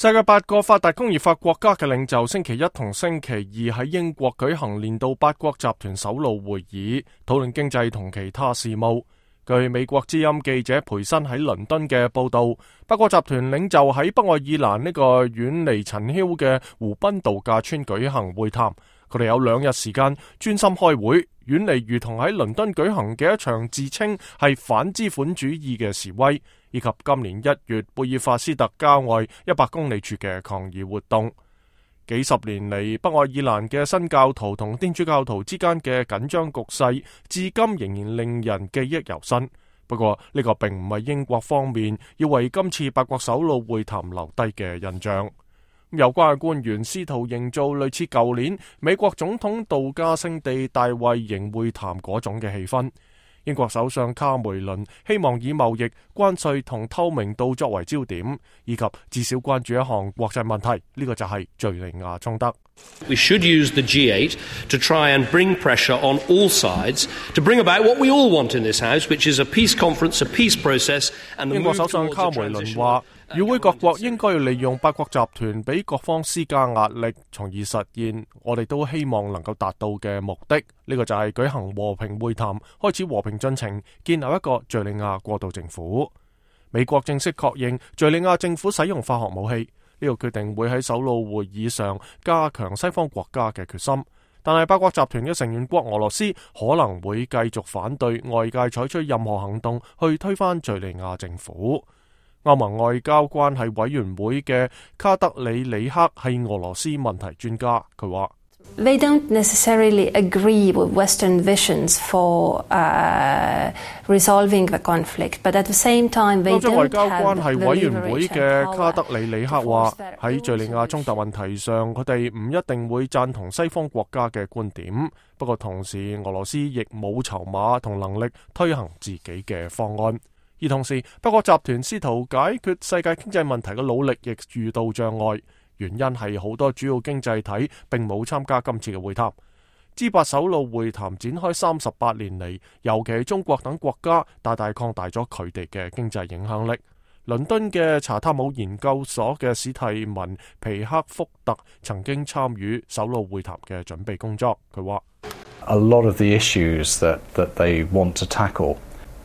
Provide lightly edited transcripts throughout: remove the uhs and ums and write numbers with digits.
世界8個發達工業化國家嘅領袖星期一同星期二喺英國舉行年度8國集團首腦會議，討論經濟同其他事務。據美國之音記者培森喺倫敦嘅報道，8國集團領袖喺北愛爾蘭呢個遠離塵囂嘅湖濱度假村舉行會談。佢哋有2日時間專心開會，遠離如同喺倫敦舉行嘅一場自稱係反資本主義嘅示威，以及今年1月貝爾法斯特郊外100公里處嘅抗議活動。幾十年嚟，北愛爾蘭嘅新教徒同天主教徒之間嘅緊張局勢，至今仍然令人記憶猶新。不過呢個並唔係英國方面要為今次8國首腦會談留低嘅印象。有關嘅官員試圖營造類似舊年美國總統度假勝地大衛營會談嗰種嘅氣氛。英國首相卡梅倫希望以貿易、關稅同透明度作為焦點，以及至少關注一項國際問題，呢個就係敘利亞衝突。We should use the G8 to try and bring pressure on all sides to bring about what we all want in this house, which is a peace conference, a peace process, and the move towards a transition. 英國首相卡梅倫話，與會各國應該要利用8國集團俾各方施加壓力，從而實現我哋都希望能夠達到嘅目的。呢個就係舉行和平會談，開始和平進程，建立一個敘利亞過渡政府。美國正式確認敘利亞政府使用化學武器。呢個決定會喺首腦會議上加強西方國家嘅決心，但係8國集團嘅成員國俄羅斯可能會繼續反對外界採取任何行動去推翻敘利亞政府。歐盟外交關係委員會嘅卡德里里克係俄羅斯問題專家，佢話：They don't necessarily agree with Western visions for resolving the conflict, but at the same time they don't have the 歐洲外交關係委員會嘅卡德里里克話，喺敘利亞衝突問題上，佢哋唔一定會贊同西方國家嘅觀點，不過同時俄羅斯亦冇籌碼同能力推行自己嘅方案。而同時8國集團試圖解決世界經濟問題嘅努力亦遇到障礙，原因係好多主要經濟體並冇參加今次嘅會談。G8首腦會談展開38年嚟，尤其係中國等國家大大擴大咗佢哋嘅經濟影響力。倫敦嘅查塔姆研究所嘅史蒂文皮克福特曾經參與首腦會談嘅準備工作，佢話：A lot of the issues that they want to tackle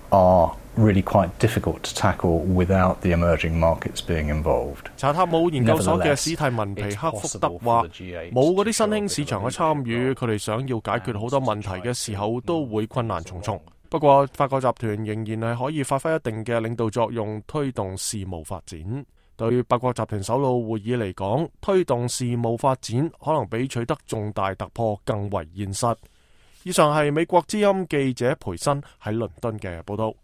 are really quite difficult to tackle without the emerging markets being involved. 查塔姆研究所嘅史蒂文皮克福特話：冇嗰啲新興市場嘅參與，佢哋想要解決好多問題嘅時候都會困難重重。不過8國集團仍然係可以發揮一定嘅領導作用，推動事務發展。對8國集團首腦會議嚟講，推動事務發展可能比取得重大突破更為現實。以上係美國之音記者培森喺倫敦嘅報道。